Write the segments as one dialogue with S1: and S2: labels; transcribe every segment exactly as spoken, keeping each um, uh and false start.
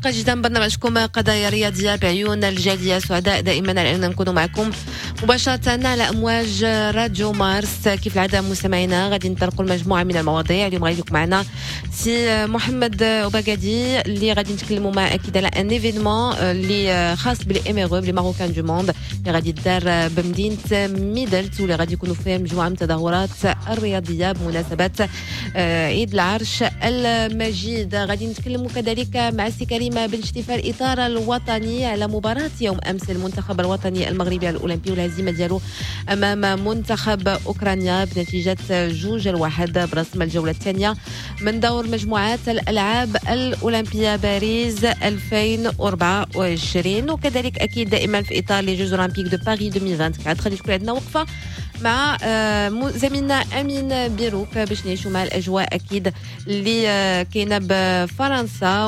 S1: حلقة جديدة من برنامجكم قضايا رياضية بعيون الجالية. سعداء دائما على أن نكون معكم مباشرة على أمواج راديو مارس. كيف العادة مستمعينا غادي نطرقوا المجموعة من المواضيع. اليوم غادي يكون معنا سي محمد أوباكادي اللي غادي نتكلموا معاه أكيد على un événement اللي خاص بال MRE ب les Marocains du monde اللي غادي يدار بمدينة ميدلت واللي غادي يكونوا فيها مجموعة من التظاهرات الرياضية بمناسبة عيد العرش المجيد. غادي نتكلموا كذلك مع سي كريم بن شتيفة الإطار الوطني على مباراة يوم أمس المنتخب الوطني المغربي الأولمبي والهزيمة ديالو أمام منتخب أوكرانيا بنتيجة جوج الواحد برسم الجولة الثانية من دور مجموعات الألعاب الأولمبية باريس ألفين وأربعة وعشرين. وكذلك أكيد دائما في إطار les Jeux Olympiques de Paris ألفين وأربعة وعشرين غادي تكون عندنا وقفة مع زميلنا أمين بيروك باش نعيشوا مع الأجواء أكيد اللي كاينة بفرنسا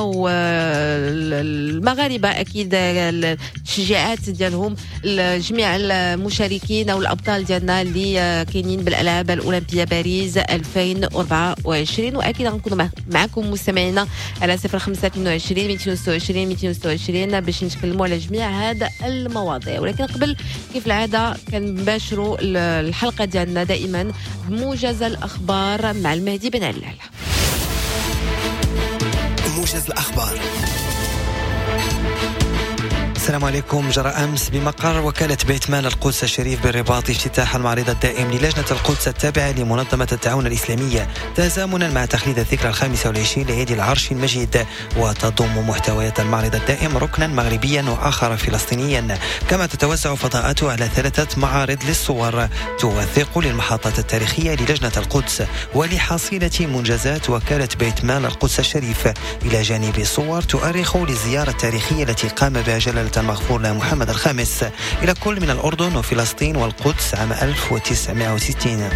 S1: والمغاربة، أكيد التشجيعات ديالهم لجميع المشاركين أو الأبطال ديالنا اللي كاينين بالألعاب الأولمبية باريس ألفين وأربعة وعشرين. وأكيد غنكونوا معكم مستمعينا على صفر خمسة اثنين وعشرين مئتين وستة وعشرين مئتين وستة وعشرين باش نتكلموا على جميع هذا المواضيع. ولكن قبل كيف العادة كنباشروا الحلقة ديالنا دائما بموجز الأخبار مع المهدي بن علال.
S2: موجز الأخبار.
S3: السلام عليكم. جرى أمس بمقر وكالة بيت مال القدس الشريف بالرباط افتتاح المعرض الدائم للجنة القدس التابعة لمنظمة التعاون الإسلامية تزامنا مع تخليد الذكرى الخامسة والعشرين لعيد العرش المجيد. وتضم محتويات المعرض الدائم ركنا مغربيا وآخر فلسطينيا، كما تتوزع فضاءاته على ثلاثة معارض للصور توثق للمحطات التاريخية للجنة القدس ولحصيلة منجزات وكالة بيت مال القدس الشريف، إلى جانب صور تؤرخ للزيارة التاريخية التي قام بها جلالة المغفور له محمد الخامس إلى كل من الأردن وفلسطين والقدس عام ألف وتسعمائة وستين.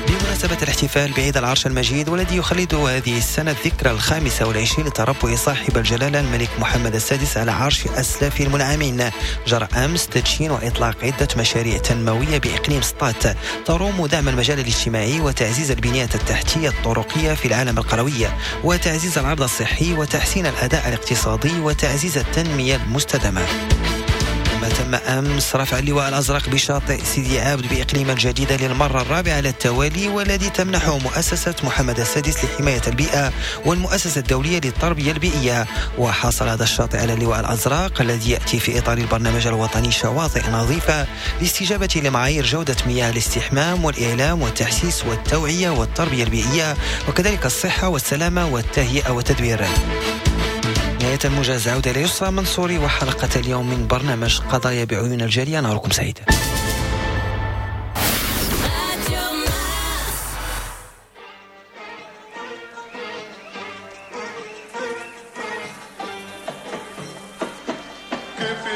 S3: بمناسبة الاحتفال بعيد العرش المجيد والذي يخلد هذه السنة الذكرى الخامسة والعشرين لتربع صاحب الجلالة الملك محمد السادس على عرش أسلاف المنعمين، جرى أمس تدشين وإطلاق عدة مشاريع تنموية بإقليم سطات تروم دعم المجال الاجتماعي وتعزيز البنيات التحتية الطرقية في العالم القروي وتعزيز العرض الصحي وتحسين الأداء الاقتصادي وتعزيز التنمية المستدامة. ما تم أمس رفع اللواء الأزرق بشاطئ سيدي عابد بإقليم الجديدة للمرة الرابعة على التوالي، والذي تمنحه مؤسسة محمد السادس لحماية البيئة والمؤسسة الدولية للتربية البيئية. وحصل هذا الشاطئ على اللواء الأزرق الذي يأتي في إطار البرنامج الوطني شواطئ نظيفة لاستجابة لمعايير جودة مياه الاستحمام والإعلام والتحسيس والتوعية والتربية البيئية وكذلك الصحة والسلامة والتهيئة والتدوير. نهاية الموجز، عودة ليسرى منصوري وحلقة اليوم من برنامج قضايا بعيون الجالية. نهاركم سعيد.
S4: كيف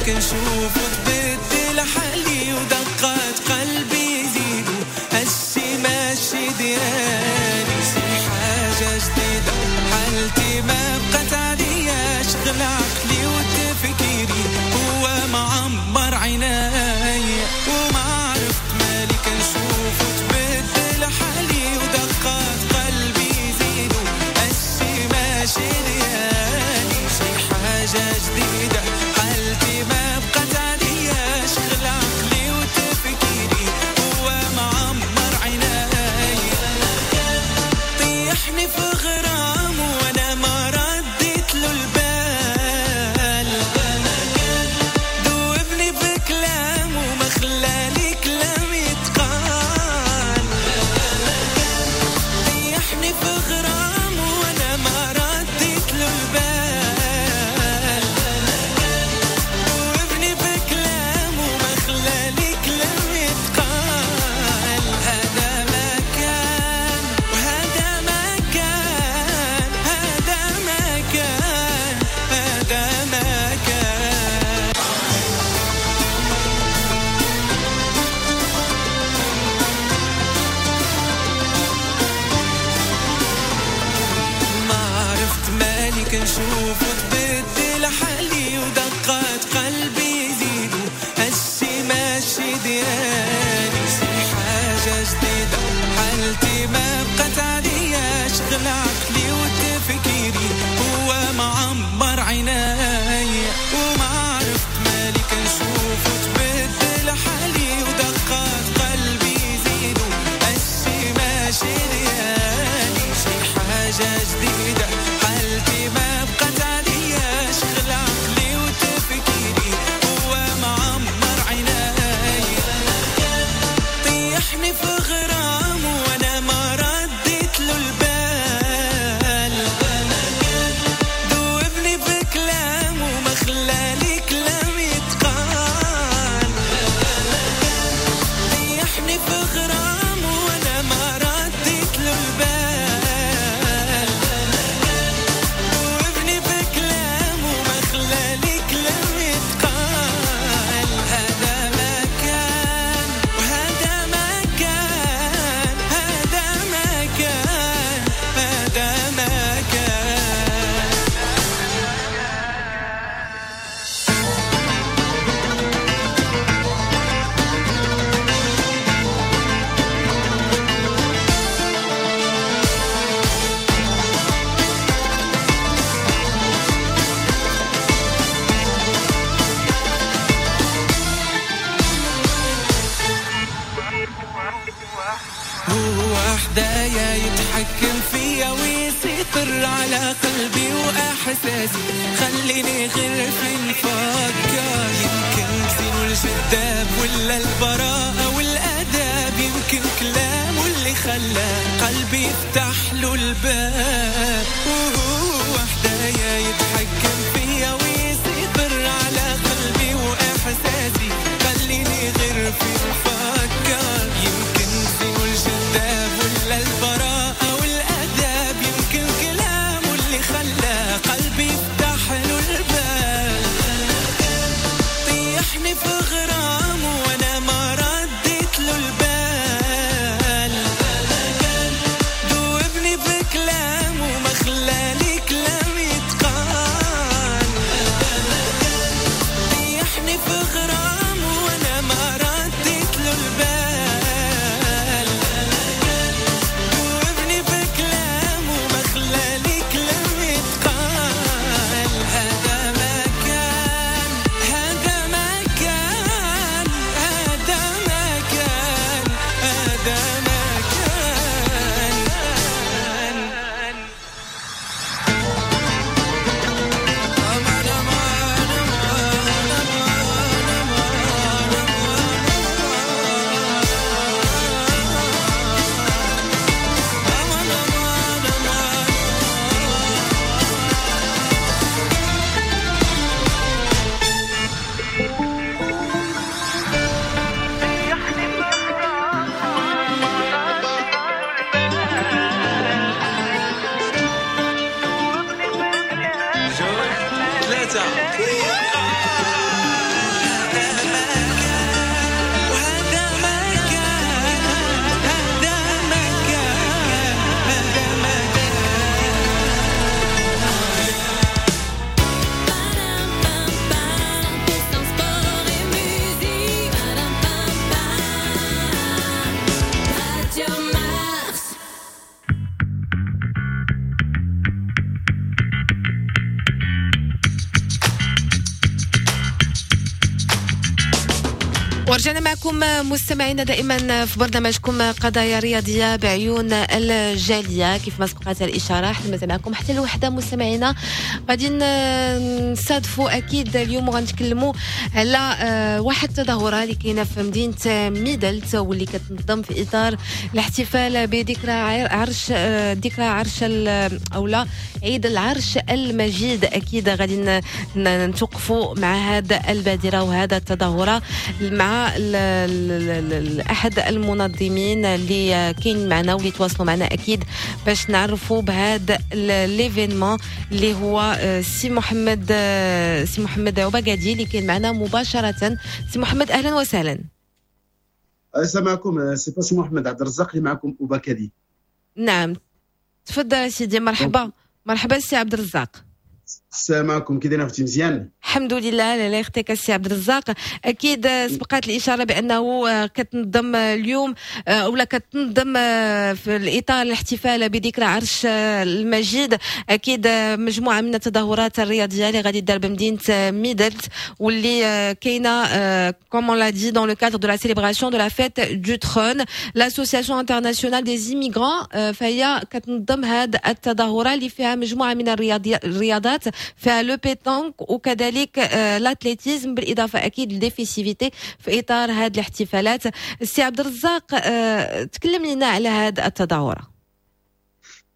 S4: كنشوف وتبدل حالي ودقات قلبي يزيدوا، هالشي ماشي ديالي، شي حاجة جديدة حالتي ما بقات عادية، شغل عقلي وتفكيري هو معمر عيناي، وما عرفت مالي كنشوف وتبدل حالي ودقات قلبي يزيدوا، هالشي ماشي ديالي، شي حاجة جديدة حالتي ما بقات عادية، شغل عقلي وتفكيري هو معمر عيناي، طيحني في غرام وانا ما رديت له البال، دوبني بكلام وما خلالي كلام يتقال، طيحني في غرام وانا ما رديت له البال، كنشوف وتبدل حالي ودقات قلبي يزيدوا، هالشي ماشي ديالي، شي حاجة جديدة حالتي ما بقات عادية، شغل عقلي وتفكيري هو معمر عيناي، وما عرفت مالي كنشوف وتبدل حالي ودقات قلبي يزيدوا، هالشي ماشي ديالي، شي حاجة جديدة حالتي ما بقات عادية، شغل عقلي وتفكيري هو معمر عيناي، طيحني في غرام وانا ما رديت له البال، دوبني بكلام وما خلالي كلام يتقال، طيحني في غرام وانا ما رديت له البال، حدايا يتحكم فيا ويسيطر على قلبي وأحساسي، خليني غير في نفكر، يمكن زينو الجذاب ولا البراءة والآداب، يمكن كلامه اللي خلى قلبي يفتح له الباب، وهو حدايا يتحكم فيا ويسيطر على قلبي وأحساسي، خليني غير في نفكر، يمكن زينو الجذاب ولا البراءة والآداب، يمكن كلامه اللي خلى قلبي يفتح له الباب، طيحني في غرام وانا ما رديت له البال، دوبني بكلام وما خلالي كلام يتقال،
S1: ورجعنا معكم مستمعينا دائما في برنامجكم قضايا رياضية بعيون الجاليه. كيف ما سبقت الاشاره، حنا مازال معكم حتى الوحده. مستمعينا، غادي نستضفوا اكيد اليوم وغنتكلموا على آه، واحد التظاهرة اللي كاينه في مدينة ميدلت، واللي كتنظم في اطار الاحتفال بذكرى عرش آه، ذكرى عرش او لا عيد العرش المجيد. اكيد غادي نتوقفوا مع هذا البادرة وهذا التظاهرة مع احد المنظمين اللي كاين معنا واللي تواصلوا معنا اكيد باش نعرفوا بهذا l'événement، اللي هو آه، سي محمد آه، سي محمد عباقادي اللي كاين معنا مباشره. سي محمد، اهلا وسهلا.
S5: السلام عليكم. c'est pas سي محمد عبد الرزاق اللي معكم، اوباكادي.
S1: نعم، تفضل سيدي، مرحبا مرحبا سي عبد الرزاق.
S5: السلام عليكم، كي داير اختي؟ مزيان؟
S1: الحمد لله، الله يخليك السي عبد الرزاق. اكيد سبقات الاشارة بانه كتنظم اليوم ولا كتنظم في الاطار الاحتفال بذكرى عرش المجيد اكيد مجموعة من التظاهرات الرياضية اللي غادي دار بمدينة ميدلت، واللي كاينه comme on l'a dit dans le cadre de la célébration de la fête du trône. l'association internationale des immigrants فهي كتنظم هذه التظاهرة اللي فيها مجموعة من الرياضات، فيها le pétanque وكذلك l'athlétisme، بالاضافة اكيد les festivités في اطار هذه الاحتفالات. السي عبد الرزاق، تكلم لنا على هذه التظاهره.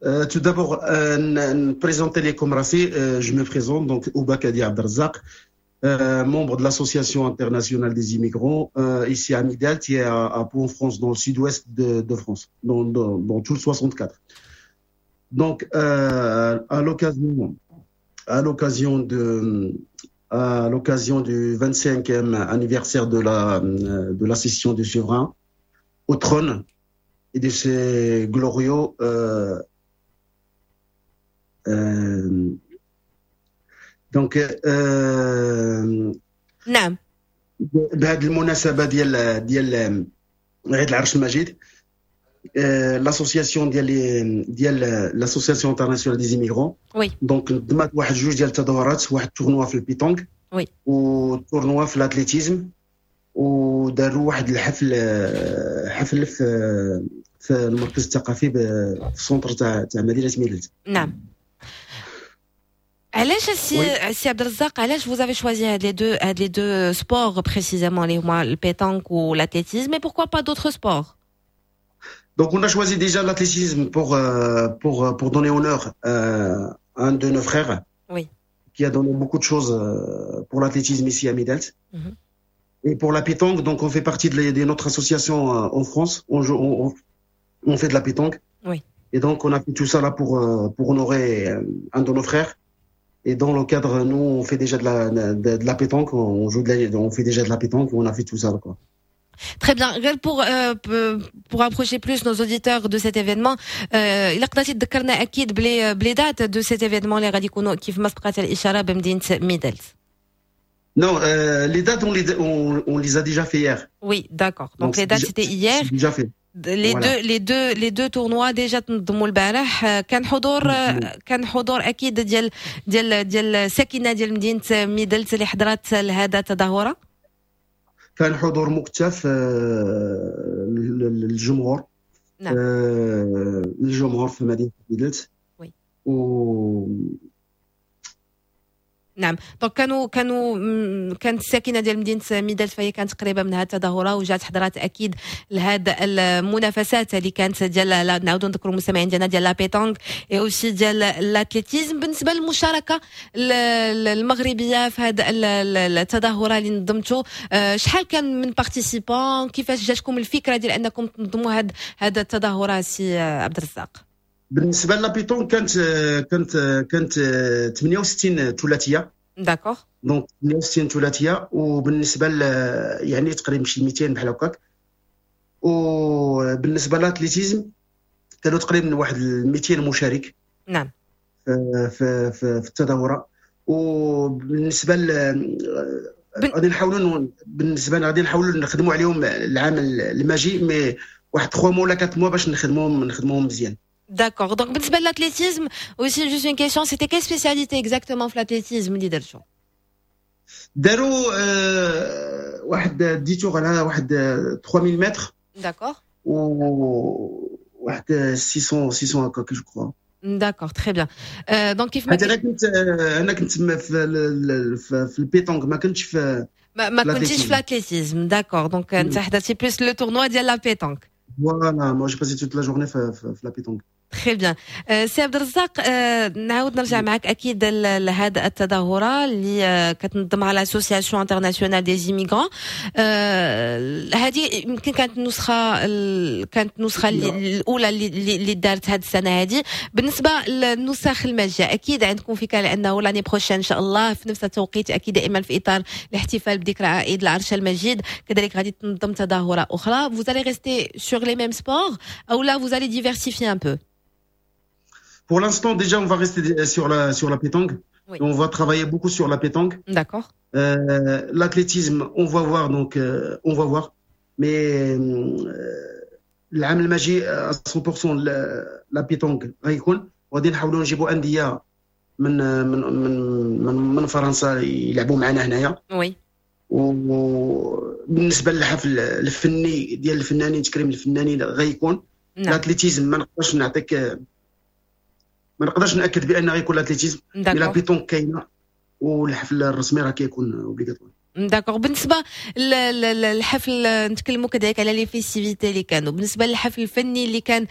S5: tout d'abord ن présenter لكم راسي، je me présente donc Oubakadi Abderrazak, euh, membre de l'Association internationale des immigrants euh, ici à Midelt et à, à Pau en France, dans le sud-ouest de, de France, dans, dans, dans tout le soixante-quatre. Donc, euh, à l'occasion à l'occasion de à l'occasion du vingt-cinquième anniversaire de la de l'accession du souverain au trône et de ses glorieux euh, euh, donc euh,
S1: نعم
S5: بهذه المناسبة ديال ديال عيد العرش المجيد، l'association ديال ديال l'association internationale des immigrants
S1: oui
S5: donc نظمت واحد جوج ديال التظاهرات، واحد tournoi في ال pétanque
S1: oui
S5: و tournoi في l'athlétisme، وداروا واحد الحفل حفل في في المركز الثقافي في ال centre تاع تاع مدينة ميدلت.
S1: نعم، علاش السي سي عبد الرزاق، علاش vous avez choisi هاد les deux هاد les deux sports précisément، اللي هما ال pétanque و l'athlétisme، et pourquoi pas d'autres sports؟
S5: Donc on a choisi déjà l'athlétisme pour, euh, pour, pour donner honneur euh, à un de nos frères
S1: oui.
S5: qui a donné beaucoup de choses euh, pour l'athlétisme ici à Midelt.
S1: Mm -hmm.
S5: Et pour la pétanque, donc on fait partie de, les, de notre association en France. On, joue, on, on fait de la pétanque.
S1: Oui.
S5: Et donc on a fait tout ça là pour, pour honorer un de nos frères. Et dans le cadre, nous, on fait déjà de la, de, de la pétanque, on joue de la, on fait déjà de la pétanque, on a fait tout ça, quoi.
S1: Très bien. غير pour euh, pour approcher plus nos auditeurs de cet événement، إلا قدرتي تذكرنا أكيد ب les ب les dates de cet événement اللي غادي يكونوا كيف ما سبقت الإشارة بمدينة ميدلت.
S5: Non, euh, les dates, on les, on, on les a déjà fait hier.
S1: Oui, d'accord. Donc, Donc les dates, c'était hier.
S5: Déjà fait.
S1: Les voilà. deux les deux les deux tournois déjà تنظموا البارح. كان حضور كان حضور اكيد ديال ديال ديال الساكنة ديال مدينة ميدلت اللي حضرت لهذا التظاهره.
S5: كان حضور مكثف للجمهور.
S1: نعم
S5: الجمهور في مدينة ميدلت.
S1: oui
S5: و
S1: نعم، donc كانوا كانوا كانت الساكنة ديال مدينة ميدلت فهي كانت قريبه من هذه التظاهرة وجات حضرات اكيد لهذه المنافسات اللي كانت ديال، نعاودوا نذكروا المستمعين ديالنا، ديال la pétanque et aussi ديال l'athlétisme. بالنسبة للمشاركة المغربية في هذه التظاهرة اللي نظمتوا، آه، شحال كان من participants؟ كيفاش جاتكم الفكرة ديال انكم تنظموا هذه هذه التظاهرة سي عبد الرزاق؟
S5: بالنسبة la pétanque كانت كانت كانت ثمانية وستين ثلاثيه.
S1: d'accord
S5: donc ثمانية وستين ثلاثيه، وبالنسبة يعني تقريبا شي ميتين بحال هكاك. وبالنسبة l'athlétisme كانوا تقريبا واحد ميتين مشارك.
S1: نعم
S5: في في في, في التظاهره. وبالنسبة غادي نحاولوا بالنسبة غادي نحاولوا نخدموا عليهم العام الماجي، mais واحد ثلاثة mois ولا أربعة mois باش نخدموهم نخدموهم مزيان.
S1: D'accord. Donc, بالنسبة l'athlétisme, aussi juste une question, c'était quelle spécialité exactement l'athlétisme اللي درتو؟
S5: داروا آه واحد dix tours على واحد ثلاثة آلاف متر.
S1: D'accord.
S5: و واحد ستمية ستمية هكاك je crois.
S1: D'accord, très bien. Donc كيف ما
S5: انا كنت انا كنت في في, في ال pétanque، ما كنتش في
S1: ما, ما كنتيش في l'athlétisme، d'accord. Donc انت حضرتي plus le tournoi ديال la pétanque.
S5: Voilà, moi j'ai passé toute la journée في, في, في la pétanque.
S1: Très bien. سي عبد الرزاق، نعاود نرجع معك اكيد لهذه التظاهرة اللي كتنظمها l'association internationale des immigrants. هذه يمكن كانت النسخه كانت النسخة الاولى اللي اللي دارت هذه السنة هذه. بالنسبة للنسخ الماجيه، اكيد عندكم فكرة لانه l'année prochaine ان شاء الله في نفس التوقيت، اكيد دائما في اطار الاحتفال بذكرى عيد العرش المجيد، كذلك غادي تنظم تظاهرة اخرى. Vous allez rester sur les mêmes sports ou là vous allez diversifier un peu؟
S5: Pour l'instant, déjà, on va rester sur la, sur la pétanque. Oui. On va travailler beaucoup sur la pétanque.
S1: D'accord.
S5: Euh, L'athlétisme, on va voir, donc euh, on va voir. Mais euh, العام الماجي مية في المية la pétanque غيكون، وغادي نحاولوا نجيبوا اندية من من من من, من فرنسا يلعبوا معنا هنايا.
S1: Oui.
S5: وبالنسبة للحفل الفني ديال الفنانين، تكريم الفنانين غيكون. نعم. L'athlétisme ما نقدرش نعطيك، ما نقدرش ناكد بان غيكون l'athlétisme. La pétanque كاينه والحفل الرسمي راه كيكون obligatoire.
S1: D'accord. بالنسبة للحفل، نتكلموا كذلك على les festivités اللي كانوا. بالنسبة للحفل الفني اللي كان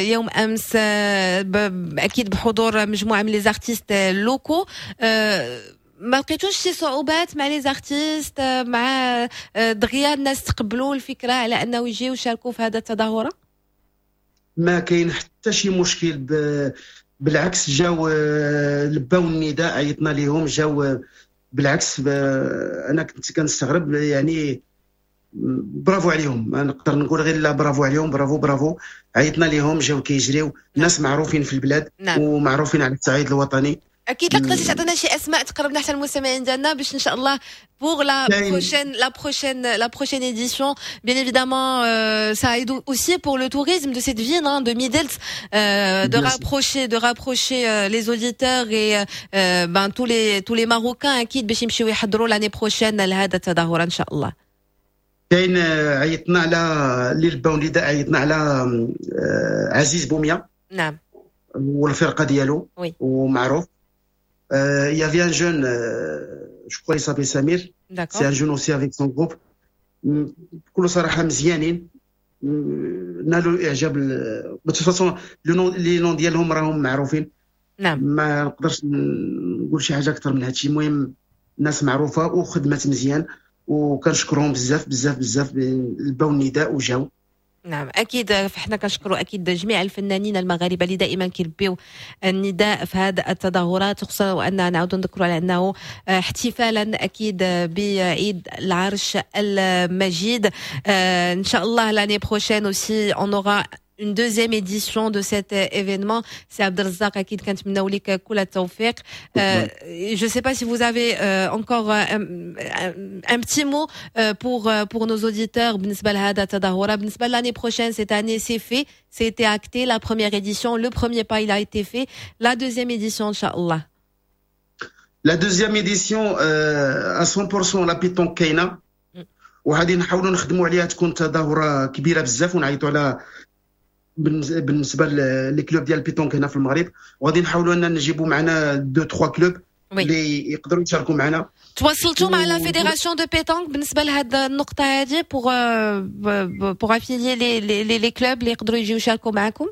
S1: يوم امس، اكيد بحضور مجموعة من les artistes locaux، ما لقيتوش شي صعوبات مع les artistes؟ مع دغيا الناس تقبلوا الفكرة على انه يجيو يشاركوا في هذا التظاهره؟
S5: ما كاين حتى شي مشكل، ب... بالعكس جاو لباو النداء، عيطنا لهم جاو. بالعكس انا كنت كنستغرب، يعني برافو عليهم، ما نقدر نقول غير لا برافو عليهم، bravo bravo. عيطنا لهم جاو كيجريو، ناس معروفين في البلاد نعم. ومعروفين على الصعيد الوطني.
S1: اكيد. لا قدرتي تعطينا شي اسماء تقربنا حتى المستمعين ديالنا باش ان شاء الله pour la prochaine la prochaine la prochaine édition, bien évidemment, euh, ça aide aussi pour le tourisme de cette ville, hein, de Midelt, euh, de rapprocher de rapprocher euh, les auditeurs et euh, ben tous les tous les Marocains اكيد باش يمشيو يحضروا l'année prochaine لهذا التظاهرة ان شاء الله.
S5: كاين، عيطنا على اللي لباو النداء، عيطنا على عزيز بوميا.
S1: نعم
S5: والفرقة ديالو.
S1: Oui.
S5: ومعروف. Il y avait un jeune, je crois il s'appelle Samir. C'est un jeune aussi avec son groupe. بكل صراحة مزيانين، نالوا اعجاب. De toute façon les noms ديالهم راهم معروفين.
S1: نعم
S5: ما نقدرش نقول شي حاجة اكثر من هادشي. المهم ناس معروفة وخدمات مزيان، وكنشكرهم بزاف بزاف بزاف، لباو النداء وجاو.
S1: نعم اكيد، فاحنا كنشكروا اكيد جميع الفنانين المغاربة اللي دائما كيلبيو النداء في هذه التظاهرات، خصوصا وان نعاود نذكروا على انه احتفالا اكيد بعيد العرش المجيد. ان شاء الله l'année prochaine aussi on aura une deuxième édition de cet événement. سي عبد الرزاق، اكيد كنتمناو لك كل التوفيق. Je sais pas si vous avez encore un, un petit mot pour pour nos auditeurs بالنسبة لهذا التظاهره، بالنسبة l'année prochaine. Cette année, c'est fait, c'était acté, la première édition, le premier pas, il a été fait. La deuxième édition إن شاء الله؟
S5: La deuxième édition, à cent pour cent la pétanque كاينه، وغادي نحاولوا نخدموا عليها تكون تظاهرة كبيرة بزاف، ونعيطوا على بالنسبة les clubs ديال ال pétanque هنا في المغرب، وغادي نحاولوا ان نجيبوا معنا deux trois clubs اللي يقدروا يشاركوا معنا.
S1: تواصلتوا مع la fédération de pétanque بالنسبة لهذه النقطة هذه pour pour affilier les les les clubs اللي يقدروا يجيو يشاركوا معكم؟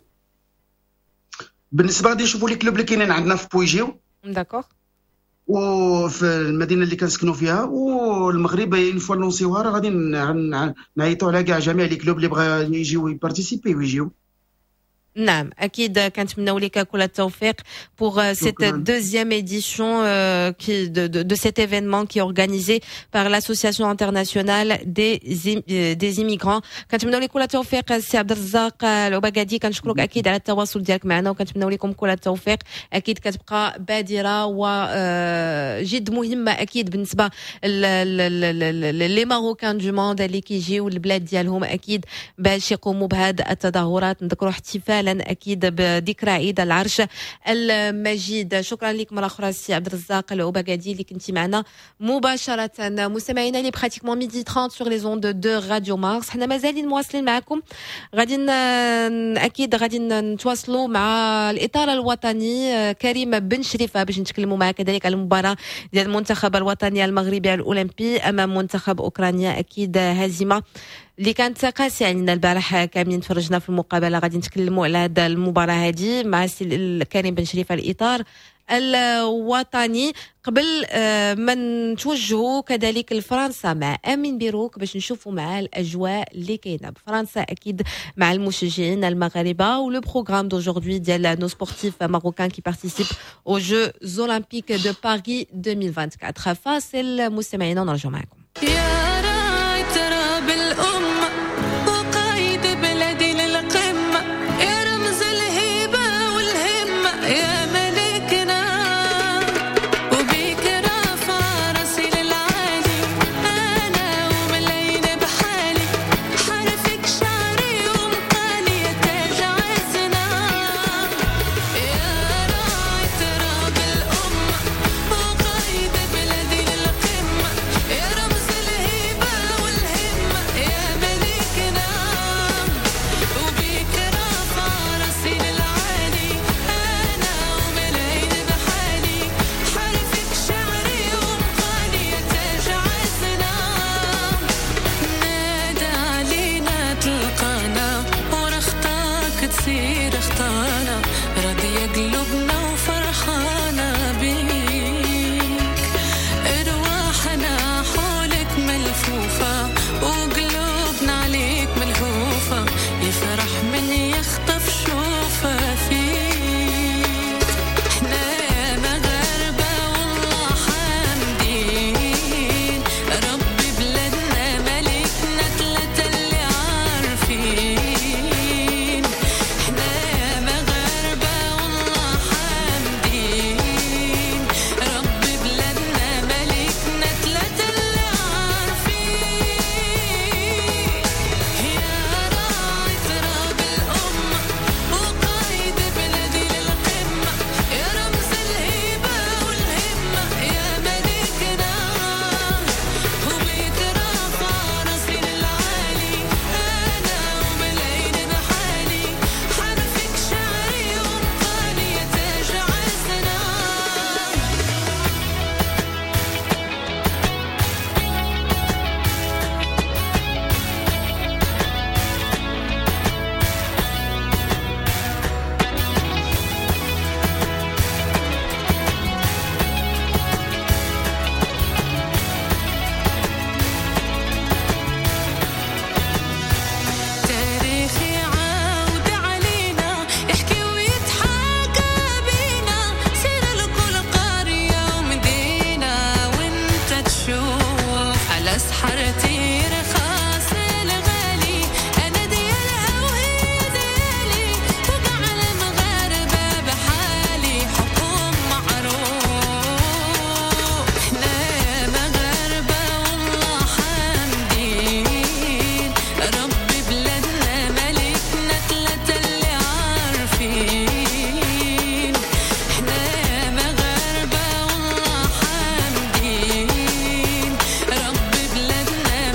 S5: بالنسبة غادي نشوفوا les clubs اللي كاينين عندنا في بويجيو.
S1: D'accord.
S5: وفي المدينة اللي كنسكنوا فيها والمغرب، une fois لونسيوها راه غادي نعيطوا على كاع جميع les clubs اللي بغا يجيو يبارتيسيبي ويجيو.
S1: نعم اكيد، كنتمناو لك كل التوفيق pour cette deuxième édition qui de, de, de cet événement qui est organisé par l'association internationale des des immigrants. كنتمناو لك كل التوفيق سي عبد الرزاق العبقادي، كنشكرك اكيد على التواصل ديالك معنا، وكنتمناو لكم كل التوفيق. اكيد كتبقى بادره وجد مهمة اكيد بالنسبة les Marocains du monde اللي كيجيو للبلاد ديالهم اكيد باش يقوموا بهذه التظاهرات. نذكروا احتفالا احتفالا اكيد بذكرى عيد العرش المجيد. شكرا لك مرة اخرى سي عبد الرزاق العباقادي اللي كنتي معنا مباشره. مستمعينا، il est pratiquement midi trente sur les ondes de Radio Mars. حنا مازالين مواصلين معكم، غادي اكيد غادي نتواصلوا مع الاطار الوطني كريم بن شريفه باش نتكلموا معاه كذلك على المباراة ديال المنتخب الوطني المغربي الاولمبي امام منتخب اوكرانيا. اكيد هزيمة اللي كانت قاسية علينا البارح، كاملين تفرجنا في المقابله. غادي نتكلموا على هذه المباراة هذه مع السي كريم بن شريفه الاطار الوطني، قبل آه، ما نتوجهوا كذلك لفرنسا مع امين بيروك باش نشوفوا معاه الاجواء اللي كاينه بفرنسا اكيد مع المشجعين المغاربة و le programme d'aujourd'hui ديال nos sportifs marocains qui participent aux Jeux Olympiques de Paris deux mille vingt-quatre. فاصل مستمعينا ونرجع معكم.
S6: يا راعي تراب الأمة وقايد بلادي للقمة، يا رمز الهيبة والهمة، يا ملكنا، وبيك رافع راسي للعالي أنا وملايين بحالي، حرفك شعري ومقالي، يا تاج عزنا. يا راعي تراب الأمة وقايد بلادي للقمة، يا رمز الهيبة والهمة، يا ملكنا، وبيك رافع راسي للعالي أنا وملايين بحالي، حرفك شعري ومقالي، يا تاج عزنا. نادى علينا تلقانا، ورا خطاك تسير خطانا، راضية قلوبنا وفرحانة بيك، ارواحنا حولك ملفوفة وقلوبنا عليك ملهوفة، يفرح من يخطف شوفة فيك. احنا يا مغاربة والله حامدين ربي بلادنا ملكنا ثلاثة اللي عارفين. احنا يا مغاربة والله حامدين ربي بلادنا ملكنا ثلاثة اللي عارفين. يا راعي تراب الأمة وقايد بلادي للقمة، يا رمز الهيبة والهمة، يا ملكنا، وبيك رافع راسي للعالي أنا وملايين بحالي، حرفك شعري ومقالي، يا تاج عزنا. تاريخي عاود علينا يحكي ويتحاكى بينا، سير لكل قرية ومدينة وانت تشوف، على سحرتي رخاص الغالي، انا ديالها وهي ديالي، وقع المغاربة بحالي حكم معروف. احنا يا مغاربة والله حامدين ربي بلادنا ملكنا ثلاثة اللي عارفين. احنا يا مغاربة والله حامدين ربي بلادنا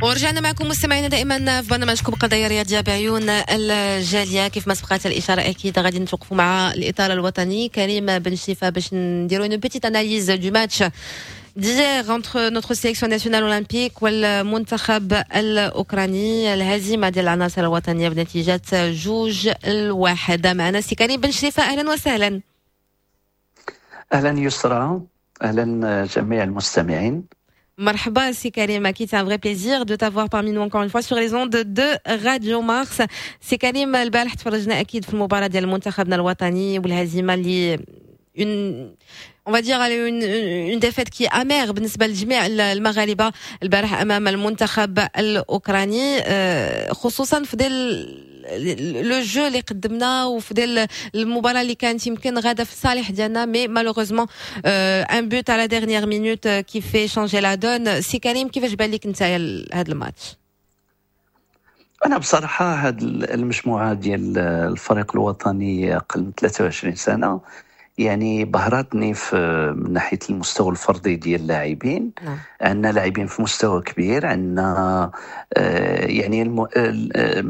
S1: ورجعنا معكم مستمعينا دائما في برنامجكم قضايا رياضية بعيون الجاليه. كيف ما سبقت الاشاره، اكيد غادي نتوقفوا مع الاطار الوطني كريم بن شريفه باش نديروا une petite analyse du match d'hier entre notre sélection nationale olympique والمنتخب الأوكراني، الهزيمة ديال العناصر الوطنية بنتيجة جوج الواحد. معنا سي كريم بن شريفة، أهلا وسهلا.
S7: اهلا يسرا، اهلا جميع المستمعين.
S1: مرحبا سي كريم، أكيد c'est un vrai plaisir de t'avoir parmi nous encore une fois sur les ondes de Radio Mars. سي كريم، البارح تفرجنا أكيد في المباراة ديال منتخبنا الوطني والهزيمة اللي une on va dire une, une défaite qui est amère بالنسبة لجميع المغاربة البارح أمام المنتخب الأوكراني، خصوصا في ديال le jeu اللي قدمنا وفي ديال المباراة اللي كانت يمكن غاده في الصالح ديالنا، mais malheureusement un but à la dernière minute qui fait changer la donne. سي كريم، كيفاش بان لك انت هذا الماتش؟
S7: انا بصراحة هذه المجموعة ديال الفريق الوطني اقل من ثلاثة وعشرين سنة يعني بهرتني في من ناحية المستوى الفردي ديال اللاعبين. نعم. عندنا لاعبين في مستوى كبير، عندنا آه، يعني الم...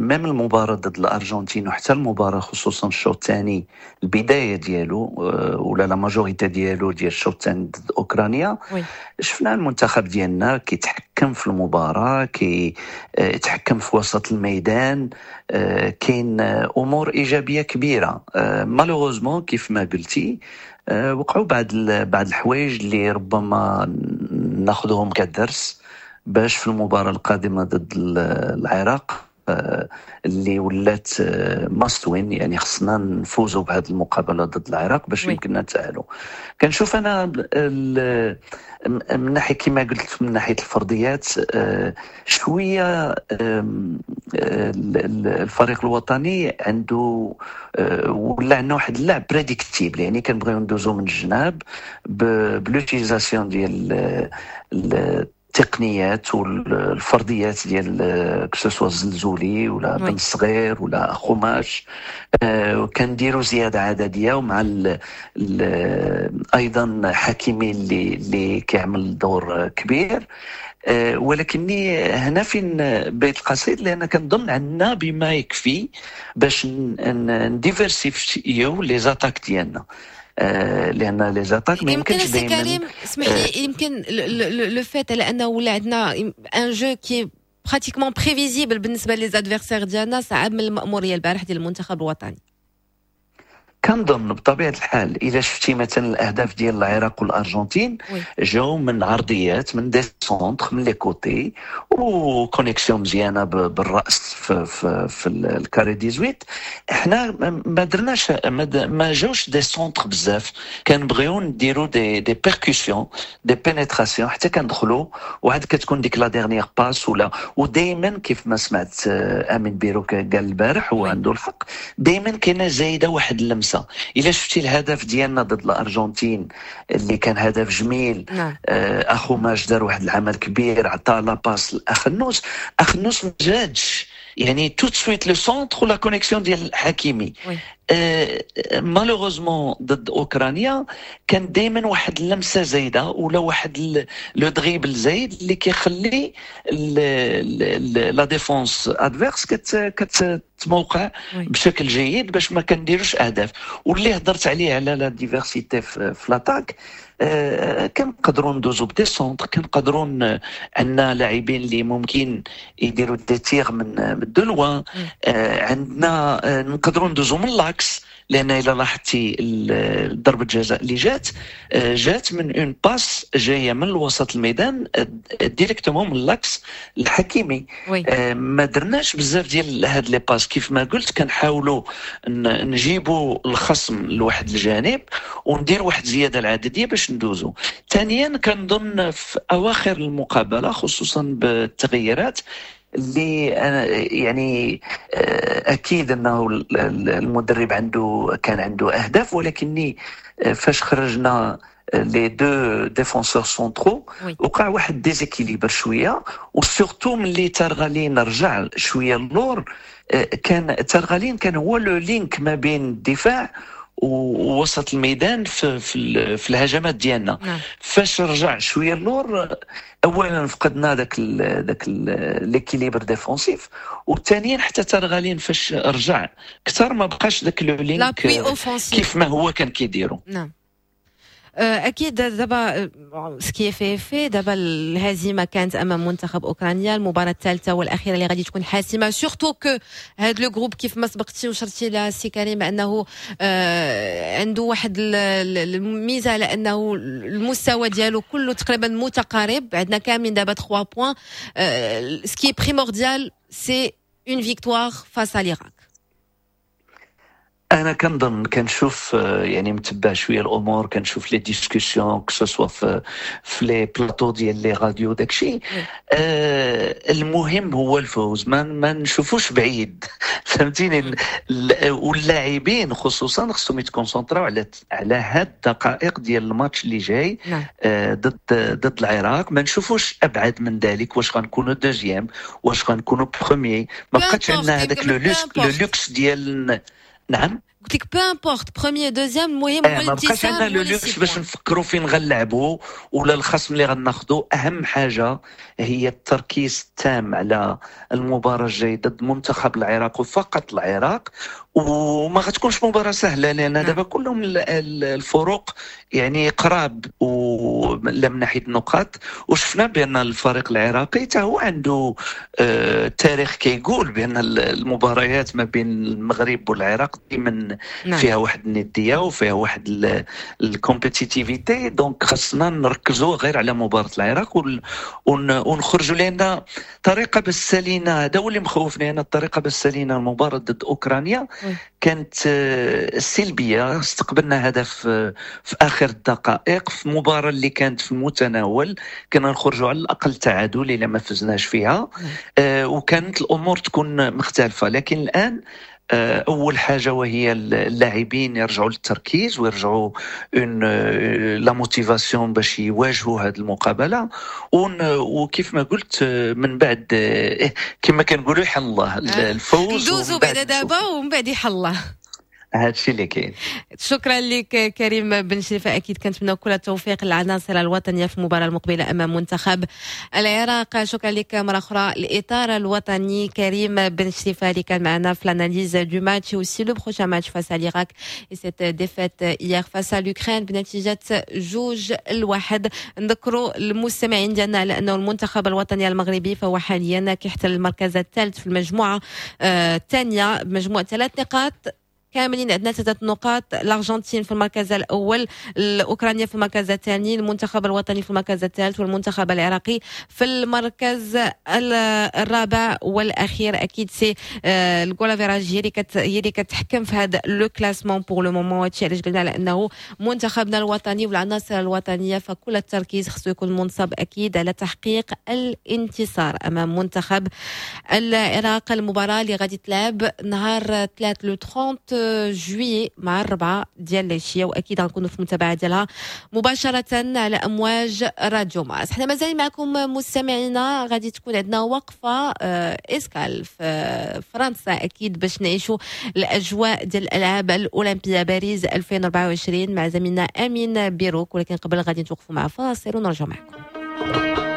S7: même المباراة ضد الارجنتين وحتى المباراة خصوصا الشوط الثاني، البداية ديالو آه، ولا la majorité ديالو ديال الشوط الثاني ضد اوكرانيا،
S1: oui.
S7: شفنا المنتخب ديالنا كيتحكم في المباراه، كيتحكم في وسط الميدان، آه، كاين امور ايجابية كبيره. malheureusement كيف ما قلتي آه، وقعوا بعض بعض الحوايج اللي ربما ناخذهم كدرس باش في المباراة القادمة ضد العراق آه، اللي ولات must win، يعني خصنا نفوزوا بهذه المقابلة ضد العراق باش يمكننا نتاهلوا. كنشوف انا من ناحية كما قلت من ناحية الفرديات آه، شوية الفريق الوطني عنده آه، ولا عندنا واحد اللعب prédictible، يعني كنبغيو ندوزو من الجناب ب l'utilisation ديال التقنيات والفرديات ديال que ce soit الزلزولي ولا بن الصغير ولا اخوماش، آه، كنديروا زيادة عددية ومع ال ال ايضا حكيمي اللي اللي كيعمل دور كبير. آه، ولكني هنا فين بيت القصيد، لان كنظن عندنا بما يكفي باش ن diversifier les attaques ديالنا، آه، لان les attaques ما يمكنش
S1: دائما. كريم، اسمح لي، يمكن le fait على انه ولا عندنا un jeu qui est pratiquement prévisible بالنسبة les adversaires ديالنا صعب من المأموريه البارح ديال المنتخب الوطني.
S7: كنظن بطبيعة الحال، اذا شفتي مثلا الاهداف ديال العراق والارجنتين جاو من عرضيات، من des centres من les côtés و connexion مزيانه بالراس في, في, في ال carré dix-huit. احنا ما درناش، ما جاوش des centres بزاف، كنبغيو نديرو des des percussions، des pénétrations حتى كندخلوا وعاد كتكون ديك la dernière passe ولا. ودائما كيف ما سمعت آه، امين بيروك قال البارح وعنده الحق، دائما كاينه زايدة واحد اللمسه. الا شفتي الهدف ديالنا ضد الارجنتين اللي كان هدف جميل،
S1: نعم.
S7: آه، اخوماش دار واحد العمل كبير، عطى la passe لاخنوس، اخنوس ما جاتش يعني tout de suite le centre ولا connexion ديال حكيمي.
S1: oui.
S7: malheureusement ضد اوكرانيا كان دائما واحد اللمسة زايدة ولا واحد le dribble زايد اللي كيخلي la défense adverse كتموقع
S1: oui.
S7: بشكل جيد باش ما كنديروش اهداف. واللي هضرت عليه على la diversité في l'attaque، آه، كنقدروا ندوزو ب des centres، كنقدروا ن- عندنا لاعبين اللي ممكن يديروا des tirs من من de loin، آه، عندنا آه، نقدروا ندوزو من l'axe، لان الا لاحظتي ال- ضربه الجزاء اللي جات آه، جات من une passe جاية من الوسط الميدان directement من l'axe الحكيمي.
S1: oui.
S7: آه، ما درناش بزاف ديال هاد les passes. كيف ما قلت كنحاولوا ن- نجيبوا الخصم لواحد الجانب وندير واحد الزيادة العدديه باش ندوزو. ثانيا كنظن في اواخر المقابلة خصوصا بالتغييرات اللي أنا يعني آه، اكيد انه ال- ال- المدرب عنده كان عنده اهداف، ولكني آه، فاش خرجنا les deux défenseurs centraux
S1: oui.
S7: وقع واحد déséquilibre شويه، و surtout ملي ترغالين رجع شوية اللور، آه، كان ترغالين كان هو le link ما بين الدفاع ووسط الميدان في في, في الهجمات ديالنا. نعم. فاش رجع شوية اللور، اولا فقدنا ذاك ذاك l'équilibre défensif، وثانيا حتى ترغالين فاش رجع اكثر ما بقاش ذاك le lien كيف ما هو كان كيديرو.
S1: نعم اكيد. دابا ce qui est fait est fait. دابا الهزيمة كانت امام منتخب اوكرانيا، المباراة الثالثة والاخيرة اللي غادي تكون حاسمة، surtout que هاد le groupe كيف ما سبقتي وشرتي لها سي كريم انه عنده واحد الميزة على انه المستوى ديالو كله تقريبا متقارب، عندنا كاملين دابا ثلاثة points. ce qui est primordial c'est une victoire face à l'Irak.
S7: انا كنظن كنشوف يعني متبع شوية الامور، كنشوف les discussions que ce soit في في les plateaux ديال les radios داكشي. آه المهم هو الفوز، ما ما نشوفوش بعيد، فهمتيني؟ واللاعبين خصوصا خصهم يتكونسونطراو على على هاد الدقائق ديال الماتش اللي جاي آه ضد ضد العراق، ما نشوفوش ابعد من ذلك، واش غنكونوا deuxième واش غنكونوا premier، ما بقاتش عندنا هذاك le luxe le luxe ديال. نعم
S1: قلت لك peu importe premier deuxième، المهم
S7: هو ما بقاش عندنا le luxe باش نفكروا فين غنلعبوا ولا الخصم اللي غناخذوا. اهم حاجة هي التركيز التام على المباراة الجاية ضد منتخب العراق وفقط العراق، وما غتكونش مباراة سهلة لان دابا كلهم الفروق يعني قراب ولا من ناحية النقاط، وشفنا بان الفريق العراقي حتى هو عنده آه تاريخ كيقول بان المباريات ما بين المغرب والعراق دائما فيها واحد الندية وفيها واحد ال compétitivité، donc خاصنا نركزوا غير على مباراة العراق ونخرجوا، لان طريقه باش سالينا هذا هو اللي مخوفني انا، الطريقة باش سالينا المباراة ضد اوكرانيا كانت سلبية، استقبلنا هدف في اخر الدقائق في مباراة اللي كانت في المتناول، كنا نخرجوا على الاقل تعادل الا ما فزناش فيها، وكانت الامور تكون مختلفة. لكن الان اول حاجة وهي اللاعبين يرجعوا للتركيز ويرجعوا une la motivation باش يواجهوا هذه المقابلة، وكيف ما قلت من بعد كما كنقولوا يحل الله الفوز،
S1: ندوزوا بعدا دابا ومن بعد يحل الله.
S7: هذا الشيء اللي كاين.
S1: شكرا لك كريم بن شريفه، اكيد كنتمنى كل التوفيق للعناصر الوطنية في المباراة المقبلة امام منتخب العراق. شكرا لك مرة اخرى الاطار الوطني كريم بن شريفه اللي كان معنا في l'analyse du match aussi le prochain match face à l'Irak et cette défaite hier face à l'Ukraine بنتيجة جوج الواحد. نذكروا المستمعين ديالنا على انه المنتخب الوطني المغربي فهو حاليا كيحتل المركز الثالث في المجموعة الثانية بمجموع ثلاث نقاط، كاملين عندنا ثلاث نقاط. الارجنتين في المركز الاول، الاوكرانيا في المركز الثاني، المنتخب الوطني في المركز الثالث، والمنتخب العراقي في المركز الرابع والاخير. اكيد c'est ال goal average هي اللي هي اللي كتحكم في هذا le classement pour le moment. هادشي علاش قلنا على انه منتخبنا الوطني والعناصر الوطنية فكل التركيز خصو يكون منصب اكيد على تحقيق الانتصار امام منتخب العراق. المباراة اللي غادي تلعب نهار ثلاثة le ثلاثين juillet مع الربعة ديال العشية، واكيد غنكونوا في المتابعة ديالها مباشرة على امواج راديو مارس. حنا مازال معكم مستمعينا، غادي تكون عندنا وقفه escale في فرنسا اكيد باش نعيشوا الاجواء ديال الالعاب الاولمبية باريس ألفين وأربعة وعشرين مع زميلنا امين بيروك، ولكن قبل غادي نتوقفوا مع فاصل ونرجع معكم.
S6: Yeah.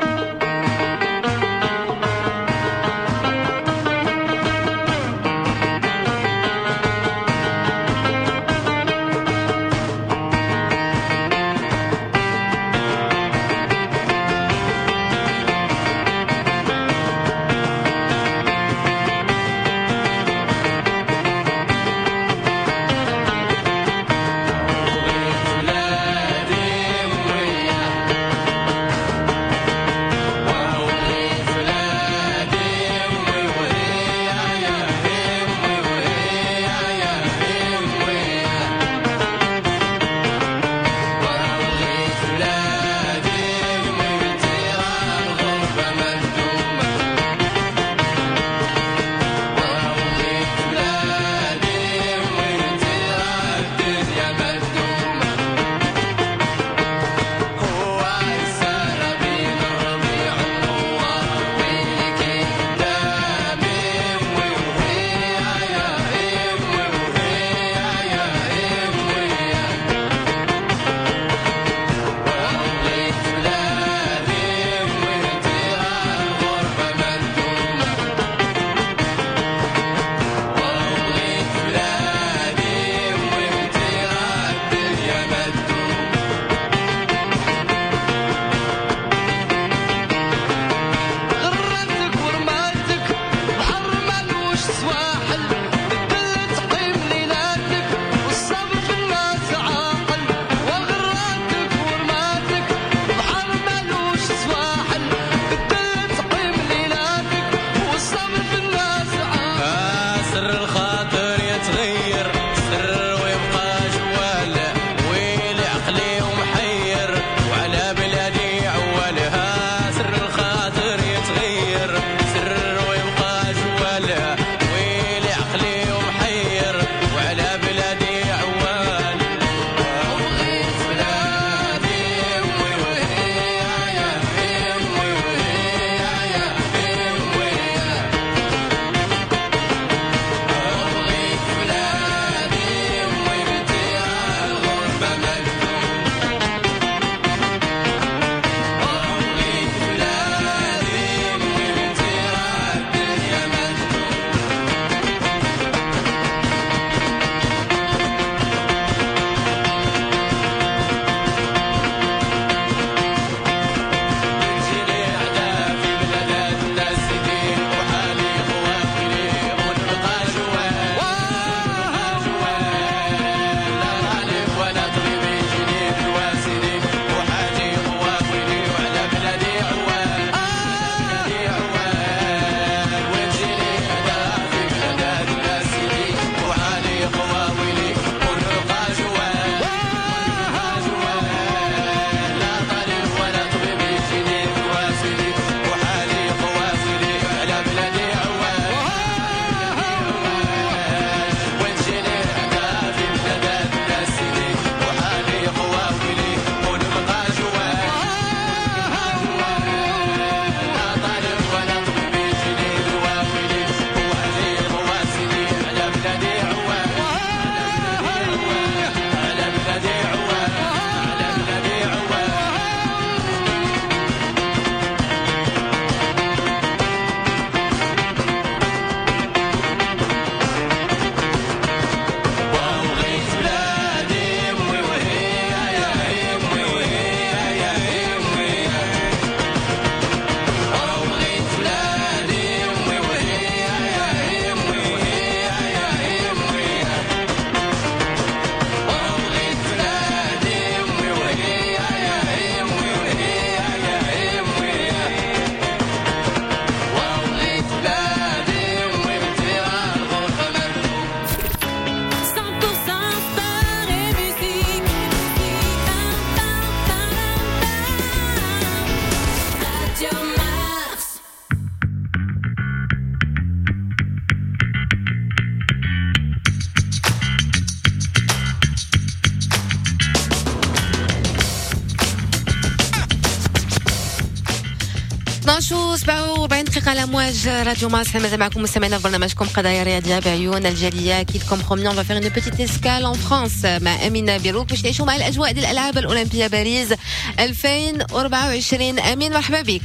S1: اثنا عشر و سبعة وأربعين دقيقة على أمواج راديو مارس. مازال معكم مستمعينا في برنامجكم قضايا رياضية بعيون الجالية. أكيد comme promis، on va faire une petite escale en France مع أمين بيروك باش نعيشوا مع الأجواء ديال الألعاب الأولمبية باريس ألفين وأربعة وعشرين. أمين، مرحبا بك.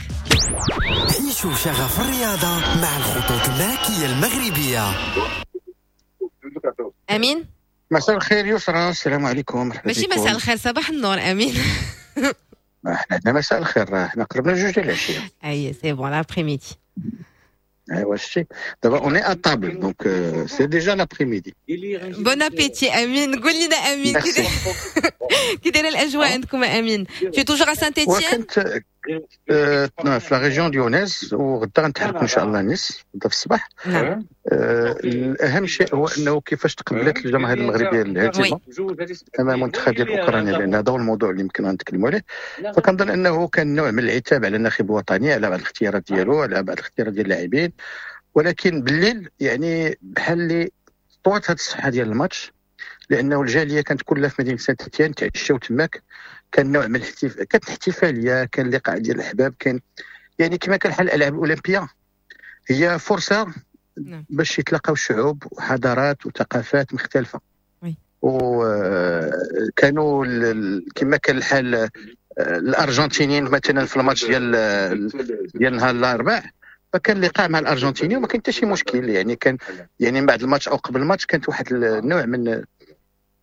S2: عيشوا شغف الرياضة مع الخطوط الملكية المغربية.
S1: أمين.
S8: مساء الخير يسرى، السلام عليكم، مرحبا.
S1: ماشي مساء الخير، صباح النور أمين.
S8: احنا عندنا مساء الخير، احنا قربنا جوج ديال العشيه.
S1: اي، c'est bon l'après-midi.
S8: ايوا شتي دابا on est à table، donc c'est déjà l'après-midi.
S1: bon appétit امين. قول لنا امين، كي دايرة الاجواء عندكم امين؟ tu es toujours à Saint-Étienne؟
S8: كنت في la région lyonnaise، وغدا غنتحرك ان شاء الله نيس غدا في الصباح.
S1: نعم
S8: اهم شيء هو انه كيفاش تقبلت الجماهير المغربية الهزيمة امام المنتخب ديال اوكرانيا، لان هذا هو الموضوع اللي يمكن نتكلموا عليه. فكنظن انه كان نوع من العتاب على الناخب الوطني، على بعض الاختيارات ديالو، على بعض الاختيارات ديال اللاعبين، ولكن بالليل يعني بحال اللي طوات هذه الصفحة ديال الماتش، لانه الجالية كانت كلها في مدينة سانت اتيان، تعشاو تماك، كان نوع من الاحتفال، كانت احتفاليه، كان لقاء ديال الاحباب، كان يعني كما كان حال الالعاب الاولمبية هي فرصة نعم. باش يتلاقاو شعوب وحضارات وثقافات مختلفه. وكانوا كما كان الحال الارجنتينيين مثلا في الماتش ديال ديال نهار الاربعاء، فكان لقاء مع الارجنتيني وما كان حتى شي مشكل، يعني كان يعني من بعد الماتش او قبل الماتش كانت واحد النوع من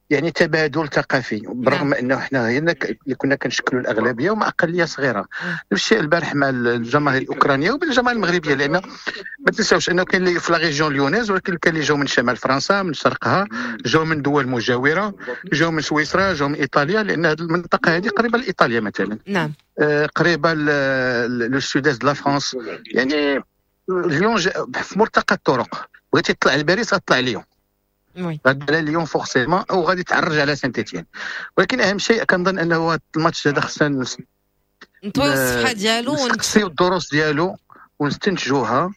S8: يعني تبادل ثقافي، بالرغم نعم. انه حنا هنا اللي كنا كنشكلوا الاغلبية ومع اقلية صغيره. نفس الشيء البارح مع الجماهير الاوكرانية وبالجماهير المغربيه، لان ما تنساوش انه كاين اللي في la région lyonnaise، ولكن كاين اللي جاو من شمال فرنسا، من شرقها، جاو من دول مجاوره، جاو من سويسرا، جاو من ايطاليا، لان هذه المنطقة هذه قريبه لايطاليا مثلا.
S1: نعم
S8: آه، قريبه le sud-est de la France، يعني ليون في ملتقى الطرق. بغيتي تطلع لباريس غتطلع ليون،
S1: oui
S8: غادي على ليون forcément وغادي تعرج على سانت اتيان. ولكن اهم شيء كنظن انه الماتش هذا خصنا
S1: نطويو الصفحة ديالو.
S8: نستقصيو الدروس ديالو ونستنتجوها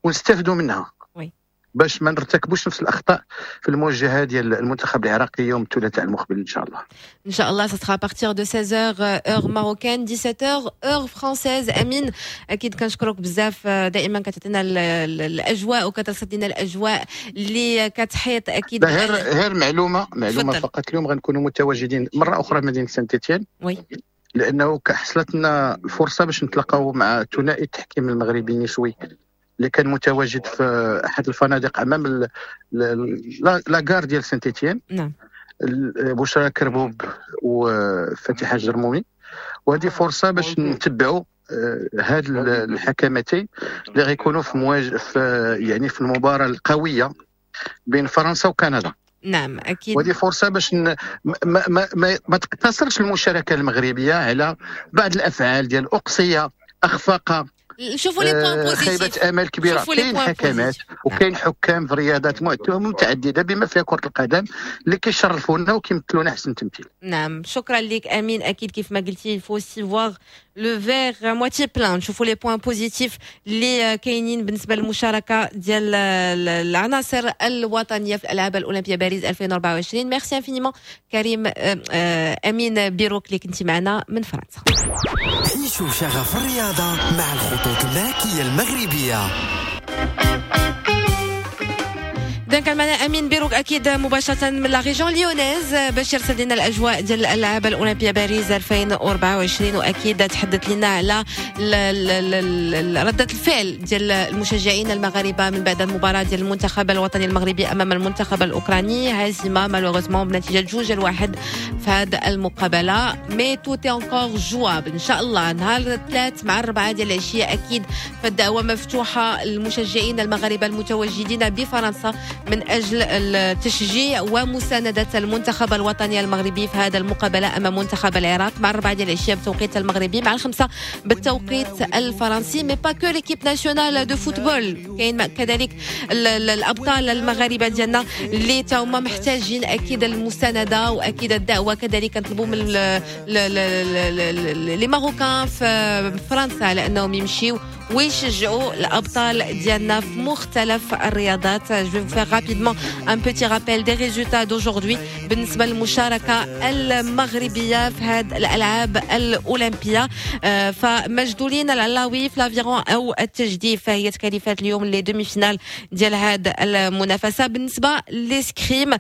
S8: ونستافدوا منها
S1: oui
S8: باش ما نرتكبوش نفس الاخطاء في المواجهة ديال المنتخب العراقي يوم الثلاثاء المقبل ان شاء الله.
S1: ان شاء الله، ça sera à partir de seize heures heure marocaine، dix-sept heures heure française. امين، اكيد كنشكرك بزاف، دائما كتعطينا الاجواء وكترصد لنا الاجواء اللي كتحيط اكيد.
S8: غير غير معلومه معلومه
S1: تفضل.
S8: فقط، اليوم غنكونوا متواجدين مرة اخرى في مدينة سانت اتيان
S1: oui
S8: لانه حصلت لنا الفرصة باش نتلاقاو مع ثنائي التحكيم المغربي النسوي اللي كان متواجد في احد الفنادق امام ال- ال- la gare ديال سانت اتيان.
S1: نعم
S8: بشرى كربوب وفتيحه الجرمومي، وهذه فرصة باش نتبعوا هاد الحكمتين اللي غيكونوا في مواجه في يعني في المباراة القوية بين فرنسا وكندا.
S1: نعم اكيد.
S8: وهذه فرصة باش ن... ما, ما, ما, ما تقتصرش المشاركة المغربية على بعض الافعال ديال اقصيه، اخفاق،
S1: شوفوا les points positifs.
S8: خيبه امل كبيره. كاين حكمات وكاين حكام في رياضات متعددة بما فيها كره القدم اللي كيشرفونا وكيمثلونا احسن تمثيل.
S1: نعم، شكرا لك امين. اكيد كيف ما قلتي، faut aussi voir le verre moitié plein، نشوفوا les points positifs اللي كاينين بالنسبة للمشاركة ديال العناصر الوطنية في الالعاب الاولمبية باريس ألفين وأربعة وعشرين. merci infiniment كريم امين بيروك اللي كنتي معنا من فرنسا.
S2: عيشوا شغف الرياضة مع الخطوط الملكية المغربية.
S1: اذا كان معنا امين بيروك اكيد مباشرة من la région lyonnaise باش يرصد لنا الاجواء ديال الالعاب الاولمبية باريس ألفين وأربعة وعشرين، واكيد تحدث لنا على رده الفعل ديال المشجعين المغاربة من بعد المباراة ديال المنتخب الوطني المغربي امام المنتخب الاوكراني، هزيمة malheureusement بنتيجة جوج لواحد في هذه المقابله. mais tout est encore jouable ان شاء الله نهار الثلاث مع الربعه ديال العشيه. اكيد فالدعوة مفتوحة للمشجعين المغاربة المتواجدين بفرنسا من أجل التشجيع ومساندة المنتخب الوطني المغربي في هذا المقابلة أمام منتخب العراق مع الربعة ديال العشية بالتوقيت المغربي، مع الخمسة بالتوقيت الفرنسي. mais pas que l'équipe nationale de football، كاين كذلك الأبطال المغاربة ديالنا اللي تا هما محتاجين أكيد المساندة وأكيد الدعوة. كذلك نطلبوا من les Marocains في فرنسا على أنهم يمشيو ويشجعوا الابطال ديالنا في مختلف الرياضات. Je vais faire rapidement un petit rappel des résultats d'aujourd'hui بالنسبة للمشاركة المغربية في هذه الالعاب الاولمبيه. فمجدولين العلاوي في l'aviron او التجديف، فهي تكاليفات اليوم les demi-finales ديال هذه المنافسه. بالنسبة l'escrime،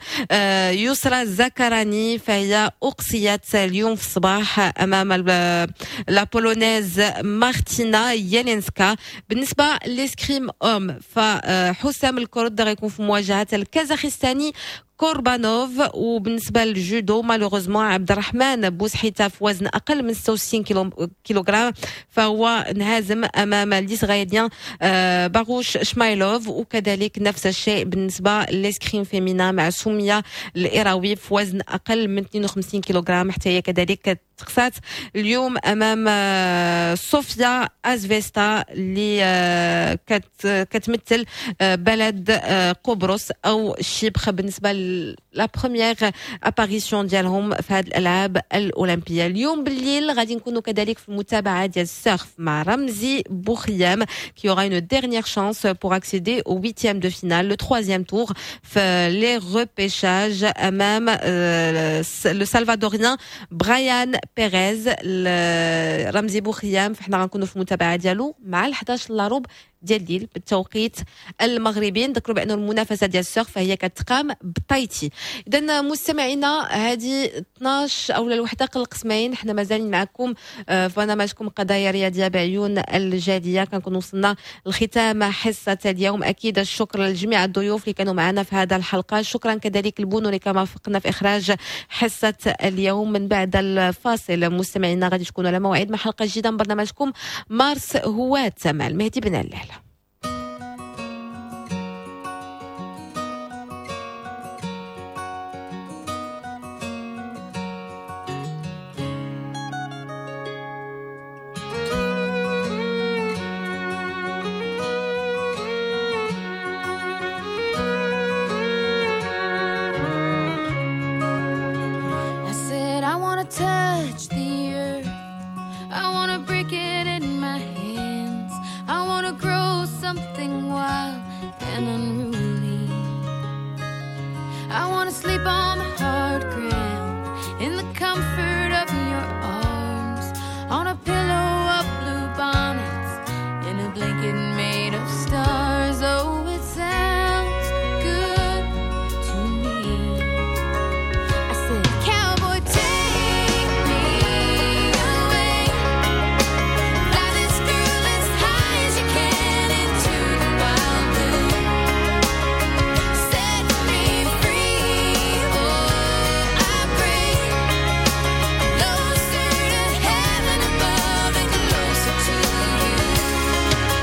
S1: يسرى الزكراني فهي اقصيت اليوم في الصباح امام la Polonaise مارتينا يالينسكا. بالنسبة l'escrime homme، فحسام الكرد غيكون في مواجهة الكازاخستاني كوربانوف. وبالنسبة للجودو، malheureusement عبد الرحمن بوسحيته في وزن اقل من ستة وستين كيلو كيلوغرام فهو انهزم امام l'Israélien آه، باروش شمايلوف. وكذلك نفس الشيء بالنسبة l'escrime féminin مع سميه الايراوي في وزن اقل من اثنين وخمسين كيلوغرام، حتى هي كذلك تقصات اليوم امام آه، صوفيا ازفيستا اللي آه، كتمثل بلد قبرص او Chypre، بالنسبة la première apparition ديالهم في هذه الالعاب الاولمبيه. اليوم بالليل غادي نكونوا كذلك في المتابعة ديال ال surf مع رمزي بوخيام qui aura une dernière chance pour accéder au huitième de finale، le troisième tour في les repêchages امام le Salvadorien برايان بيريز. رمزي بوخيام فحنا غنكونوا في المتابعة ديالو مع الحداش الا ربع ديال الليل بالتوقيت المغربي. نذكروا بان المنافسة ديال ال surf فهي كتقام بتايتي. اذا مستمعينا، هذه اثناش او الوحدة قل قسمين، حنا مازالين معكم آه، في برنامجكم قضايا رياضية بعيون الجاليه. كنكون وصلنا لختام حصة اليوم. اكيد الشكر لجميع الضيوف اللي كانوا معنا في هذا الحلقه، شكرا كذلك البونو اللي كما وفقنا في اخراج حصة اليوم. من بعد الفاصل مستمعينا غادي تكونوا على موعد مع حلقة جديدة من برنامجكم مارس هواة مع المهدي بن علال.